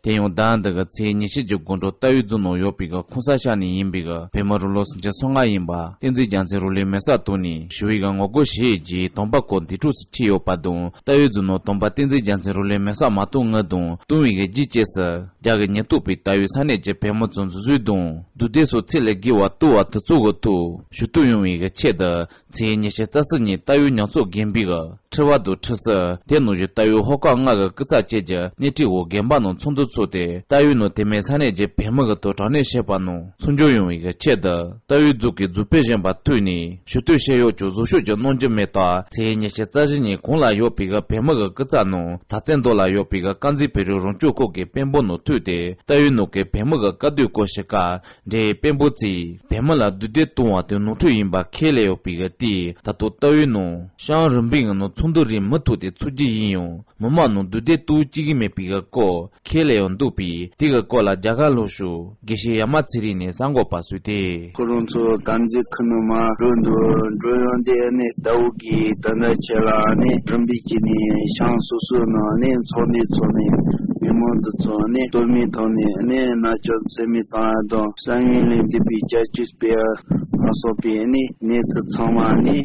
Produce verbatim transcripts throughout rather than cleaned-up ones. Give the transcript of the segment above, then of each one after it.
དེ་ཡང་ཟླ་འདི་གི་ཚེས་ཉི་ཤུ་གི་དགོང་དྲོ་རྟའུ་རྫོང་ནང་ཡོད་པའི་གི་ཁོང་ས་ཤག་ནས་ཡིན་པའི་གི་བོད་མི་རུ་ལོ་སུམ་ཅུ་སོ་ལྔ་ཡིན་པ་བསྟན་འཛིན་རྒྱལ་མཚན་རུ་ལས་མེ་སྲེག་བཏང་ནས་ཞི་བའི་གི་ངོ་རྒོལ་བྱས་རྗེས་དོམ་པ་སྐོར་འདི་འཕྲོ་སུ་ཁྲིད་ཡོད་པ་དང་། རྟའུ་རྫོང་ནང་དོམ་པ་བསྟན་འཛིན་རྒྱལ་མཚན་རུ་ལས་མེ་སྲེག་མ་བཏང་སྔོན་དང་བཏང་བའི་གི་རྗེས་བཅས་སུ་རྒྱ་གི་ཉེན་རྟོག་པས་རྟའུའི་ས་གནས་ཀྱི་བོད་མི་ཚོ་འཛིན་བཟུང་དང་། སྡུག་བསྡད་སོགས་ཚད་ལས་བརྒལ་བ་བཏང་བ་དེ་ཚོ་གི་ཐོག་ཞུ་གཏུག་ཡོང་བའི་གི་ཆེད་དུ། ཚེས་ཉི་ཤུ་རྩ་གསུམ་ཉིན་རྟའུ་མྱོང་ཚོར་དགོན་པའི་གི་ཁྲི་པ་དང་ཁྲི་སྲིད། དེ་ནང་བཞིན་རྟའུ་ཧོ་ཀ་ལྔ་གི་སྐུ་ཚབ་བཅས་ཀྱི་སྣེ་ཁྲིད་འོག་དགོན་པ་ནང་ཚོགས་འདུ་ཚོགས་ཏེ། རྟའུ་ནང་དེ་མིན་ས་གནས་ཀྱི་བོད་མི་གི་ཐོག་དྲག་གནོན་བྱས་པ་ནང་ཚུར་འབྱོར་ཡོང་བའི་གི་ཆེད་དུ། རྟའུ་རྫོང་གི་རྫོང་དཔོན་གཞོན་པ་ཐུག་ནས་ཞུ་གཏུག་བྱས་ཡོད་ཀྱང་བཟོ་ཤོག་ཅིག་གནང་རྒྱུ་མེད་སྟབས། ཚེས་ཉི་ཤུ་རྩ་བཞི་ཉིན་གོང་ལ་ཡོད་པའི་གི་བོད་མི་གི་སྐུ་ཚབ་ནང་དར་རྩེ་མདོ་ལ་ཡོད་པའི་གི་དཀར་མཛེས་བོད་རིགས་རང་སྐྱོང་ཁུལ་གྱི་དཔོན་པོ་ནང་ཐུག་སྟེ། རྟའུ་ནང་གི་བོད་མི་གི་དཀའ་སྡུག་སྐོར་ཞུ་སྐབས། འབྲེལ་ཡོད་དཔོན་པོ་ཚོས་བོད་མི་ལ་སྡུག་བསྡད་གཏོང་བ་དེ་ནོར་འཁྲུལ་ཡིན་པ་ཁས་ལེན་ཡོད་པའི་གི་དེས། ད་དུང་རྟའུ་ནང་ཤང་རིམ་པའི་ངང་ནང་ཚོགས་འདུ་རིང་མུ་མཐུད་དེ་ཚོགས་རྒྱུ་ཡིན་ཡང་། མི་མང་ནང་སྡུག་བསྡད་གཏོང་བཅུག་གི་མེད་པའི་གི་སྐོར་ཁས་ལེན་ཡོད་འདུག་པས། དེ་གི་སྐོར་ལ་རྒྱ་གར་ལྷོ་ཕྱོགས་དགེ་བཤེས་ཡ་མ་ཚེ་རིང་ནས་གསར་འགོད་པར་གསུངས་ཏེ། ཁོ་རང་ཚོ་དཀར་མཛེས་ཁུལ་ནང་མར་འགྲོ་འདུག་འགྲོ་ཡོང་དེ་ནས་རྟའུ་གི་ད་ལྟ་ཆེ་ལ་ནས་རིམ་པས་ཀྱི་ནས་ཤང་སོ་སོའི་ནང་ནས་ཚོགས་འདུ་ཚོགས་ནས་མི་མང་དུ་ཚོགས་ནས་སྟོད་སྨད་ཐོག་ནས་ནས་མནར་གཅོད་ཚད་མེད་བཏང་ཡ་དང་། བསམ་ཡུལ་ལས་འདས་པའི་བྱ་སྤྱོད་སྤེལ་ཡ་ལ་སོགས་པའི་ནི་གནས་ཚུལ་ཚང་མ་ནི་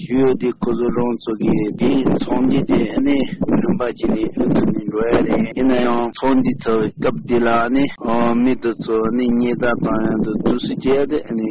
ཞུ་ཡོད་དེ། ཁོ་ཚོ་རང་ཚོ་གི་དེ་ཚོགས་འདུ་དེ་ནི་རིམ་པ་བྱས་ནས་ལུགས་མཐུན་ནས་འགྲོ་ཡ་རེད། ཡིན་ན་ཡང་ཚོགས་འདུ་ཚོགས་སྐབས་དེ་ལ་ནི་མི་དེ་ཚོ་ནི་ཉེས་རྡུང་བཏང་ཡ་དང་དུས་སུ་བྱས་ཏེ་ནི་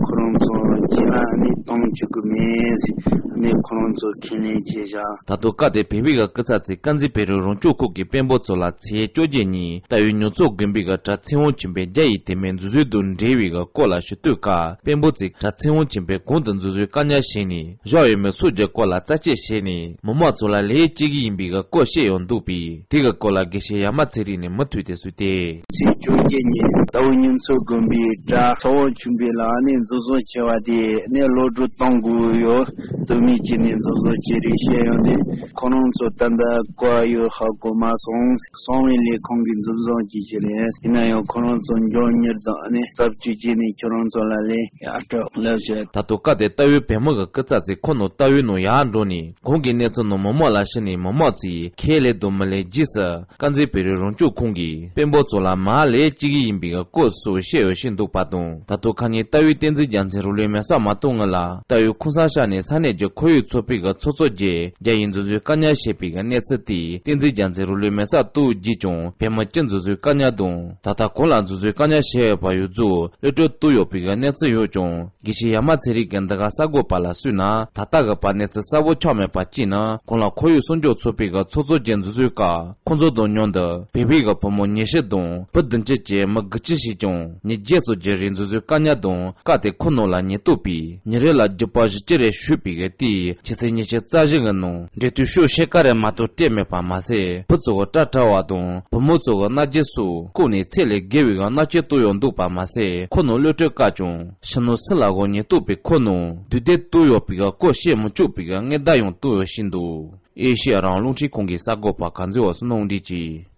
ཁོ་རང་ཚོ་རྗེས་ལ་ནི་གཏོང་བཅུག་གི་མེད་ཟེར་ནི་ཁོ་རང་ཚོ་ཁས་ལེན་བྱས་བཞག་ད་དུང་སྐབས་དེར་བོད་པའི་གི་སྐུ་ཚབ་ཚོས་དཀར་མཛེས་བོད་རིགས་རང་སྐྱོང་ཁུལ་གྱི་དཔོན་པོ་ཚོ་ལ་ཚེས་བཅོ་བརྒྱད་ཉིན་རྟའུའི་མྱོང་ཚོར་དགོན་པའི་གི་གྲྭ་ཚེ་དབང་ཆོས་འཕེལ་རྒྱ་ཡི་དེ་མིན་འཛིན་བཟུང་དང་འབྲེལ་བའི་གི་སྐོར་ལ་ཞུ་གཏུག་སྐབས། དཔོན་པོ་ཚོས་གྲྭ་ཚེ་དབང་ཆོས་འཕེལ་གོང་དུ་འཛིན་བཟུང་བཀག་ཉར་བྱས་ནས་བཞག་ཡོད་མེད་སོགས་ཀྱི་སྐོར་ལ་རྩད་གཅོད་བྱས་ནས་མི་མང་ཚོ་ལ་ལན་བྱེད་ཀྱི་ཡིན་པའི་གི་སྐོར་བཤད་ཡོད་འདུག་པས། དེ་གི་སྐོར་ལ་དགེ་བཤེས་ཡ་མ་ཚེ་རིང་ནས་མུ་མཐུད་དེ་གསུངས་ཏེ། ཚེས་བཅོ་བརྒྱད་ཉིན་རྟའུ་མྱོང་ཚོར་དགོན་པའི་གྲྭ་ཚེ་དབང་ཆོས་འཕེལ་ལགས་ནས་འཛིན་བཟུང་བྱས་པ་དེ་ནས་གློད་བཀྲོལ་གཏོང་དགོས་ཡོད། དོན་མེད་ཀྱི་ནས་འཛིན་བཟུང་བྱས་རེད་བཤད་ཡོད་དེ། ཁོ་རང་ཚོ་ད་ལྟ་ག་པར་ཡོད་ཧ་གོ་མ་སོང་། གསང་བའི་ལས་ཁུངས་ཀྱིས་འཛིན་བཟུང་བྱས་ཀྱི་རེད། ཡིན་ན་ཡང་ཁོ་རང་ཚོ་མགྱོགས་མྱུར་དུ་ནས་རྩད་གཅོད་བྱས་ནས་ཁྱོད་རང་ཚོ་ལ་ལན་ཡར་སྤྲོད་ལབ་བྱས། ད་དུང་སྐབས་དེར་རྟའུའི་བོད་མི་གི་སྐུ་ཚབ་ཚོས་ཁོ་ནང་རྟའུའི་ནང་ཡར་འགྲོ་ནས་གོང་གི་གནས་ཚུལ་ནང་མི་མང་ལ་ཞུས་ནས་མི་མང་ཚོས་ཁས་ལེན་དང་མི་ལེན་རྗེས་སུ། དཀར་མཛེས་བོད་རིགས་རང་སྐྱོང་ཁུལ་གྱི་དཔོན་པོ་ཚོ་ལ་མར་ལན་བྱེད་ཀྱི་ཡིན་པའི་སྐོར་སོགས་བཤད་ཡོད་བཞིན་འདུག་པ་དང་། ད་དུང་ཁ་ཉིན་རྟའུའི་བསྟན་འཛིན་རྒྱལ་མཚན་རུ་ལུའི་མེ་སྲེག་མ་གཏོང་སྔོན་ལ་རྟའུའི་ཁོང་ས་ཤག་ནས་ས་གནས་ཀྱི་ཁོར་ཡུག་ཚོགས་པའི་གི་ཚོགས་གཙོ་བཅས་རྒྱ་ཡིས་འཛིན་བཟུང་བཀག་ཉར་བྱས་པའི་གི་གནས་ཚུལ་དེས། བསྟན་འཛིན་རྒྱལ་མཚན་རུ་ལུའི་མེ་སྲེག་གཏོང་རྗེས་ཀྱང་བོད་མི་བཅུ་འཛིན་བཟུང་བཀག་ཉར་དང་། ད་ལྟ་གོང་ལ་འཛིན་བཟུང་བཀག་ཉར་བྱས་ཡོད་པ་ཡོངས་རྫོགས་གློད་བཀྲོལ་བཏང་ཡོད་པའི་གི་གནས་ཚུལ་ཡོད་ཀྱང་། དགེ་བཤེས་ཡ་མ་ཚེ་རིང་གིས་འདི་ག་གསར་འགོད་པ་ལ་གསུངས་ན། ད་ལྟ་གི་བར་གནས་ཚུལ་གསལ་པོ་ཆགས་མེད་པ་གཅིག་ནི། གོང་ལ་ཁོར་ཡུག་སྲུང་སྐྱོབ་ཚོགས་པའི་གི་ཚོགས་གཙོ་བཅས་འཛིན་བཟུང་སྐབས། ཁོང་ཚོ་དང་མཉམ་དུ་བོད་པའི་གི་བུ་མོ་ཉི་ཤུ་དང་བུ་བདུན་ཅུ་བཅས་མི་དགུ་བཅུ་ཞིག་ཀྱང་ཉིན་བརྒྱད་ཙམ་གྱི་རིང་འཛིན་བཟུང་བཀག་ཉར་དང་། སྐབས་དེར་ཁོ་ནང་ལ་ཉེན་རྟོག་པས་ཉིན་རེ་ལ་རྒྱུ་པ་བཞི་བཅུ་རེ་གཞུས་པའི་གི་དེས། ཕྱི་ཚེས་ཉི་ཤུ་རྩ་བཞི་གི་ནང་འབྲེལ་མཐུད་ཤོག་ཕྱེད་ཀ་རེ་མ་གཏོགས་སྤྲད་མེད་པ་མ་ཟད། བུ་ཚོ་གི་སྐྲ་བྲེགས་པ་དང་བུ་མོ་ཚོ་གི་མནར་གཅོད་སོགས་བཀོལ་ནས་ཚད་ལས་བརྒལ་བའི་གི་མནར་གཅོད་བཏང་ཡོད་འདུག་པ་མ་ཟད། ཁོ་ནང་གློད་བཀྲོལ་བཀག་ཀྱང་། ཕྱི་ནང་སུ་ལ་གོ་ཉེན་རྟོག་པས་ཁོ་ནང་སྡུག་བསྡད་བཏང་ཡོད་པའི་གི་སྐོར་བཤད་མི་ཆོག་པའི་གི་སྔོན་བརྡ་ཡང་བཏང་ཡོད་བཞིན་འདུག་ཨེ་ཤེ་ཡ་རང་དབང་རླུང་འཕྲིན་ཁང་གི་གསར་འགོད་པ་གངས་འཛིན་འོད་ཟེར་གནང་འདྲི་གིས།